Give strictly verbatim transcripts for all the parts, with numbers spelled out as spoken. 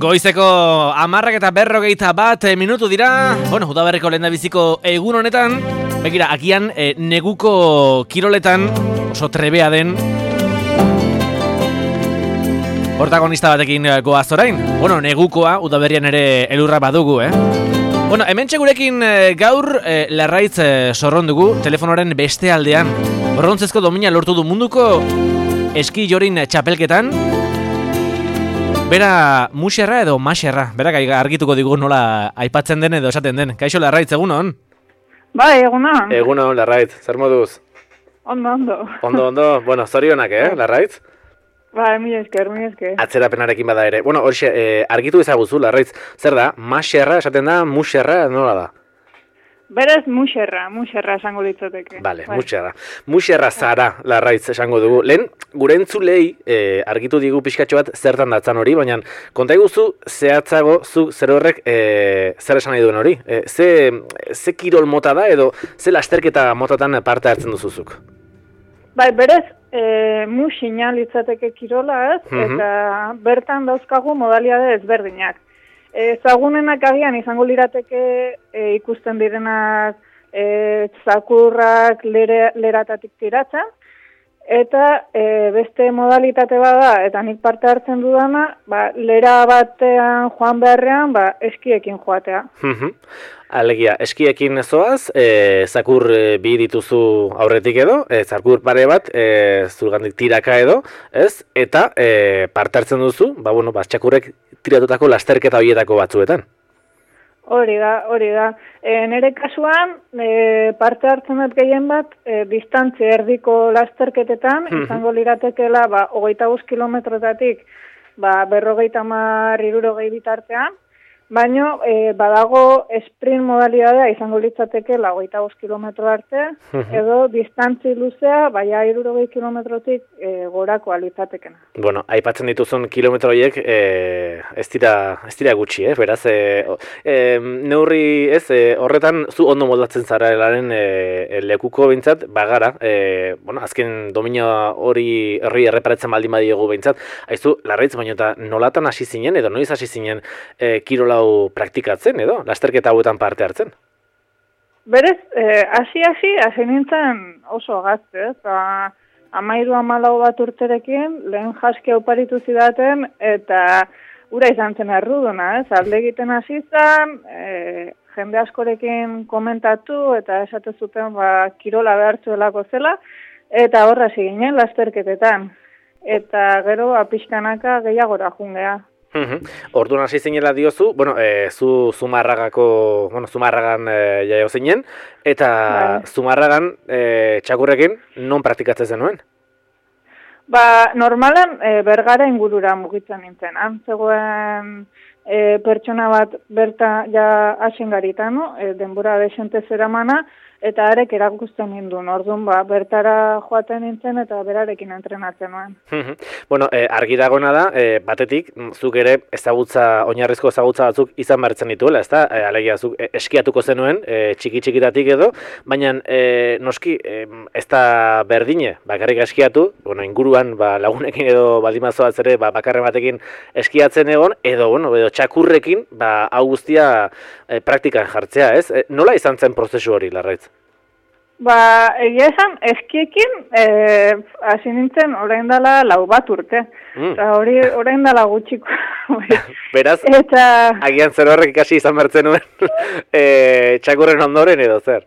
Goizeko amarrak eta berrogeita bat minutu dira. Bueno, udaberriko lehendabiziko egun honetan. Begira, agian e, neguko kiroletan oso trebea den protagonista batekin goaz orain. Bueno, negukoa udaberrian ere elurra badugu, eh? Bueno, hementxe gurekin e, gaur e, Larraitz e, sorron dugu telefonoren beste aldean. Brontzezko domina lortu du munduko eski jorin txapelketan. Bera muxerra edo maxerra, berak argituko digu nola aipatzen den edo esaten den. Kaixo Larraitz, egunon? Bai, egunon. Egunon, Larraitz, zer moduz? Ondo, ondo. Ondo, ondo, bueno, zorionak, eh, Larraitz? Bai, mi esker, mi esker. Atzerapenarekin bada ere. Bueno, horixe, eh, argitu ezaguzu, Larraitz, zer da, maxerra esaten da, muxerra nola da? Berez muxerra, muxerra esango litzateke. Bale, bai. muxerra. Muxerra zara, Larraitz esango dugu. Lehen, gure entzulei eh, argitu digu pixkatxo bat zertan datzan hori, baina konta iguzu zehatzago zu zer horrek eh, zer esan nahi duen hori. Eh, ze, ze kirol mota da edo ze lasterketa motatan parte hartzen duzuzuk? Bai, berez, e, muxina litzateke kirola ez, mm-hmm. eta bertan dauzkagu modaliade ezberdinak. Ezagunenak agian izango lirateke e, ikusten direnak e, zakurrak lere, leratatik tiratzen, eta e, beste modalitate bada, eta nik parte hartzen dudana, ba, lera batean joan beharrean, ba, eskiekin joatea. Alegia, eskiekin zoaz, e, zakur e, bi dituzu aurretik edo, e, zakur pare bat, e, zurgandik tiraka edo, ez? Eta e, parte hartzen duzu, ba, bueno, ba, txakurrek tiratutako lasterketa horietako batzuetan. Hori da, hori da. E, nere kasuan, e, parte hartzen dut gehien bat, e, distantzi erdiko lasterketetan, izango liratekela, ba, hogeita bost kilometrotatik, ba, berrogeita hamar hirurogei bitartean, baina e, badago sprint modalidadea izango litzatekela hogeita bost kilometro arte, edo distantzi luzea, baina hirurogei kilometrotik e, gorako litzatekena. Bueno, aipatzen dituzun kilometro horiek e, ez dira ez dira gutxi, eh? Beraz, e, e, neurri ez, e, horretan zu ondo moldatzen zara elaren e, lekuko behintzat, bagara, e, bueno, azken domina hori herri erreparatzen baldin badiogu behintzat, haizu, Larraitz, baina eta nolatan hasi zinen, edo noiz hasi zinen e, kirola praktikatzen edo, lasterketa hauetan parte hartzen? Berez, hasi eh, hasi hasi nintzen oso gazte, eta amairu amalau bat urterekin, lehen jaski oparitu zidaten, eta ura izan zen erruduna, ez? Alde egiten hasi zen, e, jende askorekin komentatu, eta esate zuten, ba, kirola behartzuelako zela, eta horra hasi ginen lasterketetan. Eta gero, apixkanaka gehiagora jungea. Uhum. Orduan hasi zinela diozu, bueno, e, zu Zumarragako, bueno, Zumarragan e, jaio zinen, eta bai. Zumarragan e, txakurrekin non praktikatzen zenuen? Ba, normalan e, Bergara ingurura mugitzen nintzen. Han zegoen e, pertsona bat berta ja hasen garita, no? E, denbora desente zeramana, eta arek erakusten ninduen. Orduan, ba, bertara joaten nintzen eta berarekin entrenatzen nuen. Bueno, eh, argi dagoena da, eh, batetik, zuk ere ezagutza, oinarrizko ezagutza batzuk izan bertzen dituela, ezta? Eh, alegia, zuk eh, eskiatuko zenuen, eh, txiki-txikitatik edo, baina eh, noski, eh, ez da berdine, bakarrik eskiatu, bueno, inguruan ba, lagunekin edo baldimazoaz ere, ba, bakarren batekin eskiatzen egon, edo, bueno, edo txakurrekin, ba, hau guztia eh, praktikan jartzea, ez? Eh, nola izan zen prozesu hori, Larraitz? Ba, egia esan, eskiekin, eh, hasi nintzen orain dela lau bat urte. Mm. Eta hori orain dela gutxiko. Beraz, eta agian zer horrek ikasi izan bertzen nuen, e, txakurren ondoren edo zer?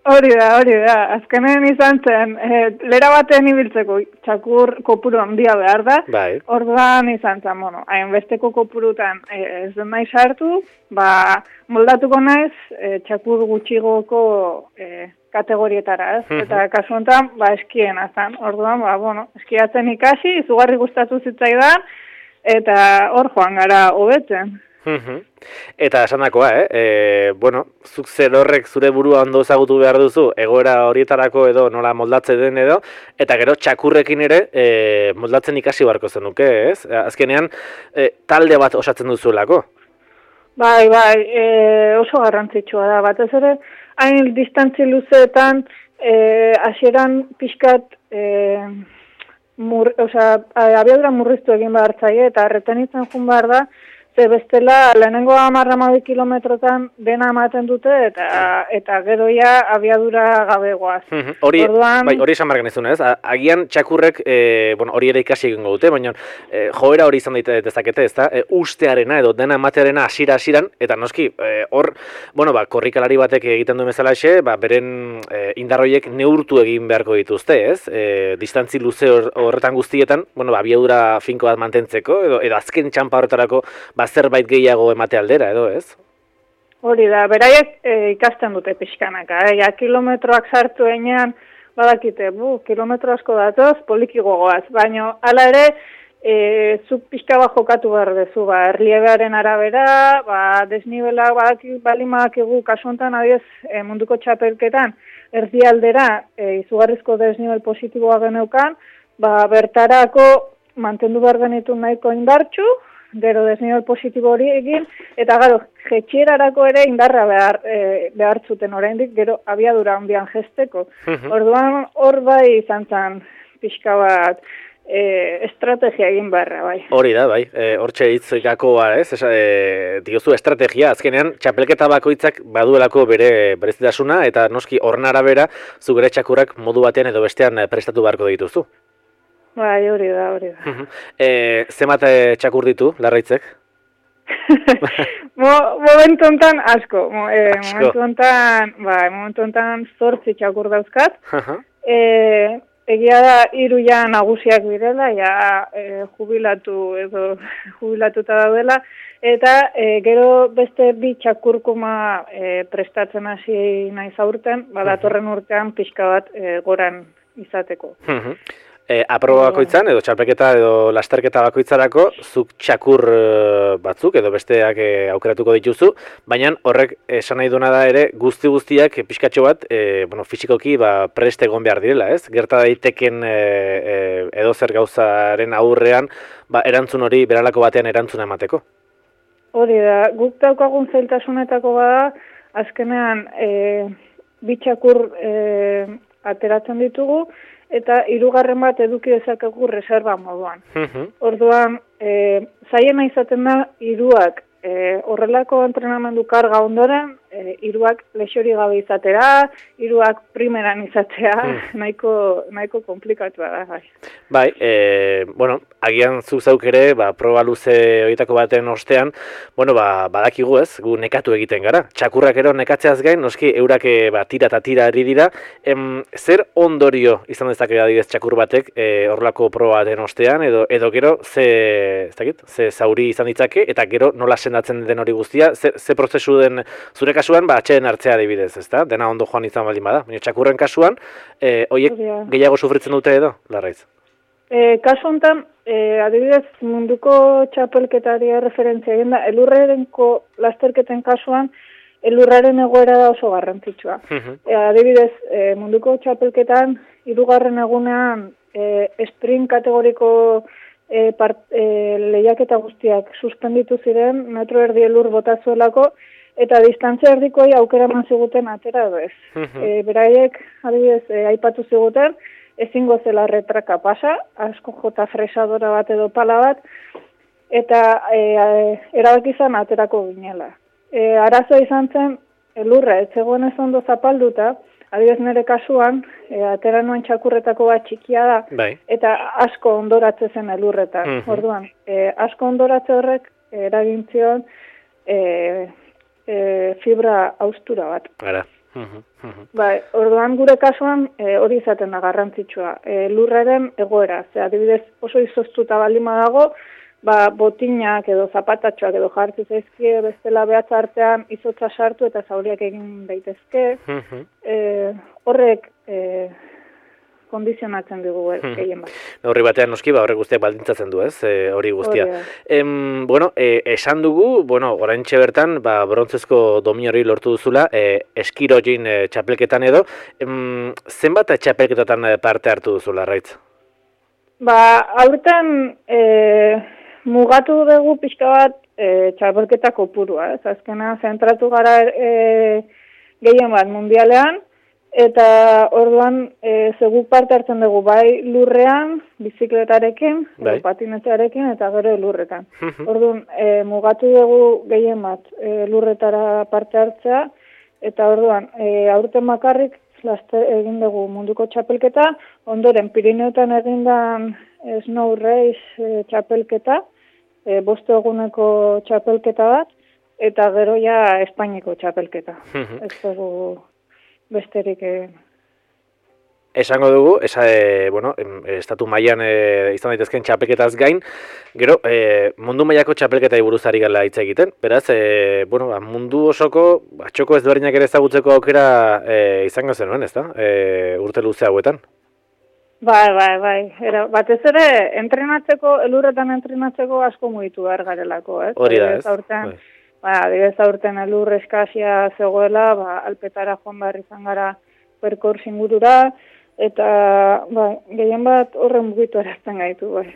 Hori da, hori da. Azkenen izan zen, e, lera batean ibiltzeko txakur kopuru handia behar da. Bai. Orduan izan zen, bueno, hainbesteko kopurutan e, ez den nahi sartu, ba, moldatuko naiz e, txakur gutxigoko e, kategorietara, ez? Uh-huh. Eta kasu honetan, ba, eskien azan. Orduan, ba, bueno, eskiatzen ikasi, izugarri gustatu zitzaidan, eta hor joan gara hobetzen. Uh-huh. Eta esandakoa, eh? E, bueno, zuk zer horrek zure burua ondo ezagutu behar duzu, egoera horietarako edo nola moldatzen den edo, eta gero txakurrekin ere e, moldatzen ikasi beharko zenuke, ez? Azkenean, e, talde bat osatzen duzuelako. Bai, bai, e, oso garrantzitsua da, batez ere, hain distantzi luzeetan, hasieran e, pixkat, e, mur, osea, abiadura murriztu egin behar zaie, eta retenitzen jun behar da, Ze bestela, lehenengo hamar hamabi kilometrotan dena ematen dute, eta eta gero ja abiadura gabegoaz. Hori, Orduan... bai, hori esan bargan ez duna, ez? Agian txakurrek, e, bueno, hori ere ikasi egingo dute, baina e, joera hori izan daite dezakete, ez da? E, ustearena edo dena ematearena hasiera hasieran eta noski, e, hor, bueno, ba, korrikalari batek egiten du bezalaxe, ba, beren e, indarroiek neurtu egin beharko dituzte, ez? E, distantzi luze horretan guztietan, bueno, ba, abiadura finko bat mantentzeko, edo, edo azken txampa horretarako, ba, zerbait gehiago emate aldera, edo, ez? Hori da, beraiek e, ikasten dute pixkanaka, eh? Ja, kilometroak sartu enean, badakite, bu, kilometro asko datoz, poliki gogoaz, baina hala ere, e, zuk pixka bat jokatu behar dezu, ba, erliebearen arabera, ba, desnibela badakik balimak egu kasuntan, adiez, e, munduko txapelketan, erdialdera, e, izugarrizko desnibel positiboa geneukan, ba, bertarako mantendu behar genitu nahiko indartxu, gero desnibel positibo hori egin, eta gero, jetxierarako ere indarra behar, e, behar zuten oraindik, gero abiadura handian jesteko. Uh-huh. Orduan hor bai izan zen pixka bat e, estrategia egin beharra, bai. Hori da, bai, hortxe e, hitzoikakoa, ez? Esa, e, diozu estrategia, azkenean txapelketa bakoitzak baduelako bere berezitasuna, eta noski horren arabera, zugere txakurrak modu batean edo bestean prestatu beharko dituzu. Bai, hori da, hori da. e, Zemat txakur ditu, Larraitzek? Mo, momentu ontan asko. Mo, e, asko. Momentu ontan, bai, momentu ontan zortzi txakur dauzkat. e, egia da, hiru ja nagusiak direla, ja e, jubilatu edo jubilatuta daudela, eta e, gero beste bi txakurkuma e, prestatzen hasi nahi zaurten, badatorren urtean pixka bat e, goran izateko. E, aproba bakoitzan, edo txalpeketa edo lasterketa bakoitzarako, zuk txakur e, batzuk edo besteak e, aukeratuko dituzu, baina horrek esan nahi duena da ere guzti guztiak pixkatxo bat, e, bueno, fisikoki ba, prest egon behar direla, ez? Gerta daiteken e, e, edo zer gauzaren aurrean, ba, erantzun hori beralako batean erantzuna emateko. Hori da, guk daukagun zailtasunetako bada, azkenean e, bi txakur e, ateratzen ditugu, eta hirugarren bat eduki dezakegu reserva moduan. Uh-huh. Orduan, e, zaiena izaten da, hiruak e, horrelako entrenamendu karga ondoren, e, hiruak lexori gabe izatera, hiruak primeran izatea, uh. nahiko, nahiko komplikatua da. Bai, bai e, bueno, agian zuk zauk ere, ba, proba luze horietako baten ostean, bueno, ba, badakigu ez, gu nekatu egiten gara. Txakurrak ero nekatzeaz gain, noski, eurak ba, tira eta tira ari dira. Em, zer ondorio izan dezake adibidez txakur batek e, horrelako proba baten ostean, edo, edo gero ze, ez dakit, ze zauri izan ditzake, eta gero nola sendatzen den hori guztia, ze, ze prozesu den zure kasuan, ba, atxeden hartzea adibidez, ezta? Dena ondo joan izan baldin bada. Baina txakurren kasuan, e, oiek gehiago sufritzen dute edo, Larraiz? E, kasu honetan, e, adibidez, munduko txapelketari referentzia egin da, elurrerenko lasterketen kasuan, elurraren egoera da oso garrantzitsua. Uh-huh. e, adibidez, e, munduko txapelketan, hirugarren egunean, e, sprint kategoriko e, part, e, lehiaketa guztiak suspenditu ziren, metro erdi elur botazuelako, eta distantzia erdikoi aukera eman ziguten atera edo ez. Uh-huh. e, beraiek, adibidez, e, aipatu ziguten, ezingo zela retraka pasa, asko jota fresadora bat edo pala bat, eta e, erabaki izan aterako ginela. E, arazoa izan zen, elurra, ez zegoen ez ondo zapalduta, adibidez nire kasuan, e, atera nuen txakurretako bat txikia da, bai. Eta asko ondoratze zen elurretan. Uh-huh. Orduan, e, asko ondoratze horrek eragintzion e, e, fibra austura bat. Gara. Uh-huh, uh-huh. Bai, orduan gure kasuan e, hori izaten da garrantzitsua. E, lurraren egoera, ze adibidez oso izoztuta balima dago, ba, botinak edo zapatatxoak edo jartzi zaizkie bestela behatza artean izotza sartu eta zauriak egin daitezke. Uh-huh. E, horrek e, kondizionatzen dugu gehien bat. Horri batean noski, ba, horrek guztiak baldintzatzen du, ez, e, hori guztia. Em, bueno, e, esan dugu, bueno, oraintxe bertan, ba, brontzezko domin hori lortu duzula, e, eskirogin e, txapelketan edo, em, zenbat txapelketatan parte hartu duzula, Larraitz? Ba, aurten e, mugatu dugu pixka bat e, txapelketa kopurua, ez, azkena zentratu gara e, gehien bat mundialean, Eta orduan, e, zegu parte hartzen dugu bai lurrean, bizikletarekin, bai. Patinetearekin, eta gero lurretan. Orduan, e, mugatu dugu gehien bat e, lurretara parte hartzea, eta orduan, e, aurten bakarrik laste, egin dugu munduko txapelketa, ondoren Pirineotan egindan Snow Race e, txapelketa, e, boste eguneko txapelketa bat, eta gero ja Espainiko txapelketa. Ez dugu besterik egin. Esango dugu, esa, e, bueno, estatu mailan e, izan daitezken txapelketaz gain, gero e, mundu mailako txapelketai buruz ari gala hitz egiten. Beraz, e, bueno, mundu osoko txoko ezberdinak ere ezagutzeko aukera e, izango zenuen, ezta? E, urte luze hauetan. Bai, bai, bai. Era, batez ere, entrenatzeko, elurretan entrenatzeko asko mugitu behar garelako, ez? Hori da, ez? Aurten, bai. Ba, adibidez aurten elur eskasia zegoela, ba, alpetara joan behar izan gara perkors ingurura, eta ba, gehien bat horren mugitu erazten gaitu. Bai.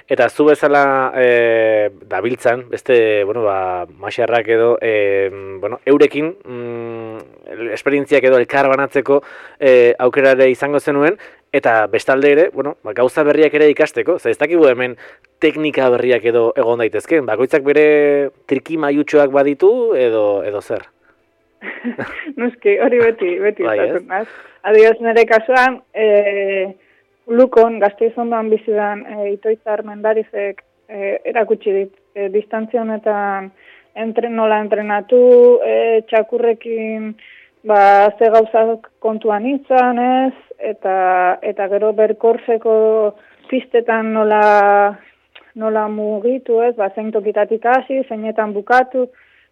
Eta zu bezala e, dabiltzan, beste, bueno, ba, Maxarrak edo, e, bueno, eurekin, mm, esperientziak edo elkar banatzeko e, aukerare izango zenuen, eta bestalde ere, bueno, ba, gauza berriak ere ikasteko, ze ez dakigu hemen teknika berriak edo egon daitezken, bakoitzak bere triki maiutxoak baditu edo edo zer? Nuski, hori beti, beti izaten da. Adibidez nire kasuan, e, Lukon, Gasteizondoan bizidan, e, Itoizar Mendarizek e, erakutsi dit, e, distantzia honetan entre, nola entrenatu, e, txakurrekin ba, ze gauzak kontuan izan ez, eta, eta gero berkorseko pistetan nola, nola mugitu ez, ba, zein tokitatik hasi, zeinetan bukatu,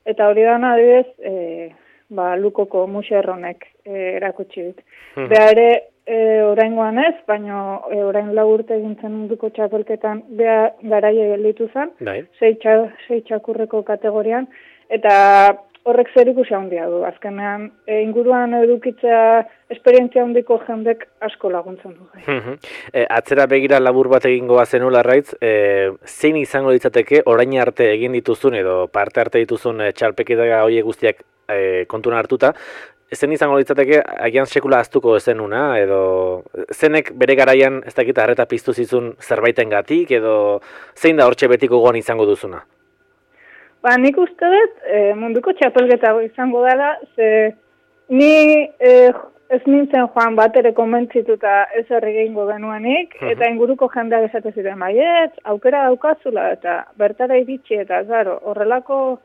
eta hori dana adibidez, e, ba, Lukoko muxerronek e, erakutsi dit. Hmm. Beha ere, e, oraingoan ez, baina e, orain lau urte egintzen munduko txapelketan beha garaia gelditu zen, sei, txa, sei txakurreko kategorian, eta horrek zer ikusi handia du. Azkenean, e, inguruan edukitzea esperientzia handiko jendek asko laguntzen du. Hmm. E, atzera begira labur bat egingoa zenu Larraitz, e, zein izango ditzateke orain arte egin dituzun edo parte arte dituzun e, txalpeketa horiek guztiak E, kontuan hartuta, zen izango litzateke agian sekula aztuko zenuna, edo zenek bere garaian ez dakit harreta piztu zizun zerbaitengatik, edo zein da hortxe betiko goan izango duzuna? Ba, nik uste dut e, munduko txapelketa izango dela, ze ni e, ez nintzen joan bat ere konbentzituta ez herri gehingo genuenik, uh-huh. Eta inguruko jendeak esate ziren baiet, aukera daukazula, eta bertara iritsi, eta zaro, horrelako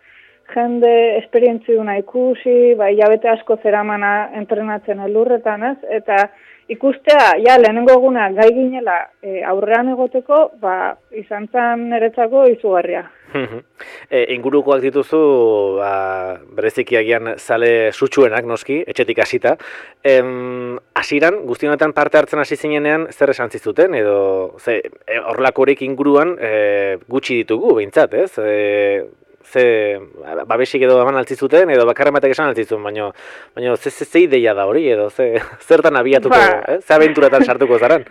jende esperientziuna ikusi, ba, hilabete asko zeramana entrenatzen elurretan, ez? Eta ikustea, ja, lehenengo eguna gai ginela e, aurrean egoteko, ba, izan zen niretzako izugarria. e, ingurukoak dituzu, ba, bereziki agian zale sutsuenak noski, etxetik hasita. Em, hasiran, guzti honetan parte hartzen hasi zinenean, zer esan zizuten, edo ze, e, horlakorik inguruan e, gutxi ditugu, behintzat, ez? E, ze babesik edo eman altzizuten, edo bakarren batek esan altzizun, baina baina ze, ze, ze ideia da hori, edo ze, zertan abiatuko, ba. eh? Ze abenturatan sartuko zaran?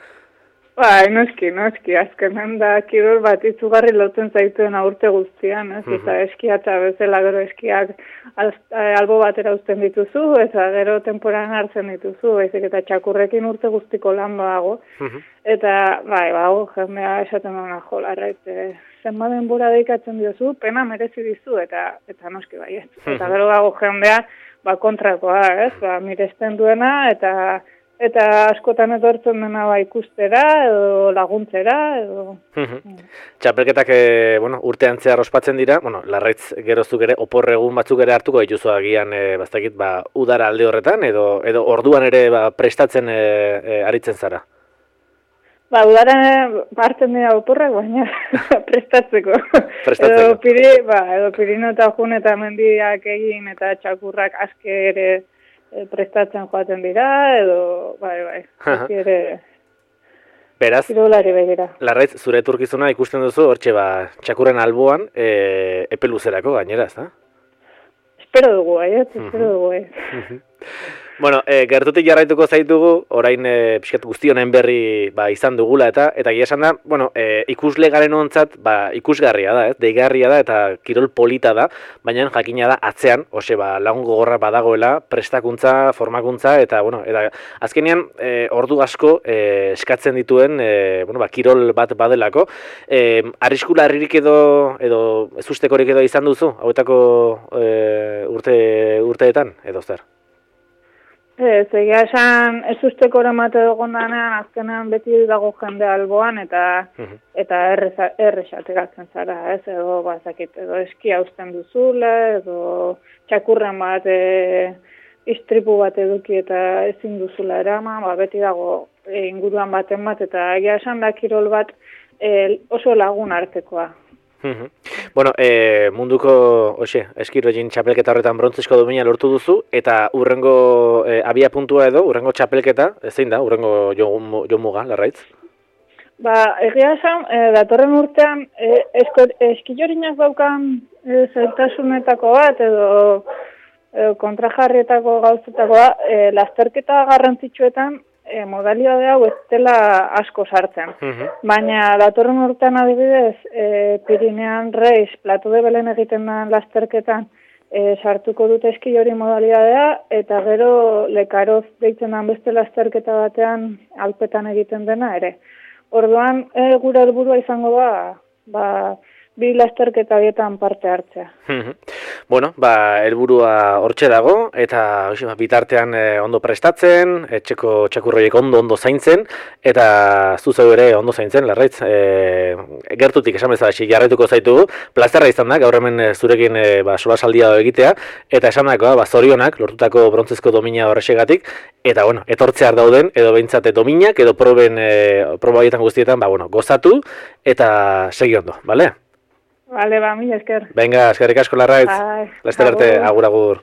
Bai, noski, noski, azkenan da kirol bat izugarri lotzen zaituen aurte guztian, ez? Uh-huh. Eta eskiatza bezala gero eskiak albo batera uzten dituzu, eta gero temporan hartzen dituzu, baizik eta txakurrekin urte guztiko lan dago. Uh-huh. Eta, bai, bago, jendea esaten duna jolarra, eta zenba denbora deikatzen diozu, pena merezi dizu, eta eta noski bai, ez? Uh-huh. Eta gero dago jendea, ba, kontrakoa, ez? Ba, miresten duena, eta eta askotan etortzen dena ba ikustera edo laguntzera edo txapelketak e, bueno, urtean zehar ospatzen dira, bueno, Larraitz gerozuk ere opor egun batzuk ere hartuko dituzu agian e, bastakit ba udara alde horretan edo edo orduan ere ba, prestatzen e, e, aritzen zara. Ba, udara hartzen dira oporrak, baina prestatzeko. Prestatzeko. Edo piri, ba, edo pirino eta jun eta mendiak egin eta txakurrak aske ere E, prestatzen joaten dira, edo, bai, bai, ere, beraz, kirolari begira. Larraitz, zure etorkizuna ikusten duzu, hortxe, ba, txakurren alboan, e, epe luzerako gainera, ez da? Espero dugu, eh, espero dugu, eh. Bueno, e, gertutik jarraituko zaitugu, orain e, pixkat guztionen berri ba, izan dugula, eta eta egia esan da, bueno, e, ikusle garen ontzat, ba, ikusgarria da, ez? Deigarria da, eta kirol polita da, baina jakina da atzean, ose, ba, lagun gogorra badagoela, prestakuntza, formakuntza, eta, bueno, eta azkenean, e, ordu asko e, eskatzen dituen, e, bueno, ba, kirol bat badelako. E, arriskula herririk edo, edo ezustekorik edo izan duzu, hauetako e, urte, urteetan, edo zer? Ez, egia esan, ez usteko eramate dugun danean, azkenean beti dago jende alboan, eta uh-huh. eta errexateratzen zara, ez, edo bazakit, edo eskia usten duzula, edo txakurren bat, e, istripu bat eduki eta ezin duzula eraman, ba, beti dago e, inguruan baten bat, eta egia esan da kirol bat e, oso lagun artekoa. Uh-huh. Bueno, e, munduko oxe, eskirogin txapelketa horretan brontzezko domina lortu duzu, eta urrengo e, abia puntua edo, urrengo txapelketa, zein da, urrengo jomuga, larraitz? Ba, egia esan, e, datorren urtean, e, eskilorinak daukan e, zailtasunetako bat, edo e, kontrajarrietako gauzetakoa, e, lasterketa garrantzitsuetan, E, modalidade hau ez dela asko sartzen. Uh-huh. Baina datorren urtean adibidez, e, Pirinean Reis, Plato de Belen egiten den lasterketan e, sartuko dute eskilori modalidadea, eta gero Lekaroz deitzen den beste lasterketa batean Alpetan egiten dena ere. Orduan, e, gure helburua izango da, ba, bi lasterketa bietan parte hartzea. Bueno, ba, helburua hortxe dago, eta oxe, ba, bitartean e, ondo prestatzen, etxeko txakurroiek ondo ondo zaintzen, eta zuzeu ere ondo zaintzen, larraitz. E, gertutik esan bezala, jarraituko zaitugu, plazerra izan da, gaur hemen zurekin e, ba, solasaldia egitea, eta esan dagoa, ba, zorionak, lortutako brontzezko domina horrexegatik, eta, bueno, etortzear dauden, edo behintzate dominak, edo proben, e, proba horietan guztietan, ba, bueno, gozatu, eta segi ondo, bale? Vale, ba, mila esker. Venga, eskerrik asko larraitz. Laster arte, agur agur.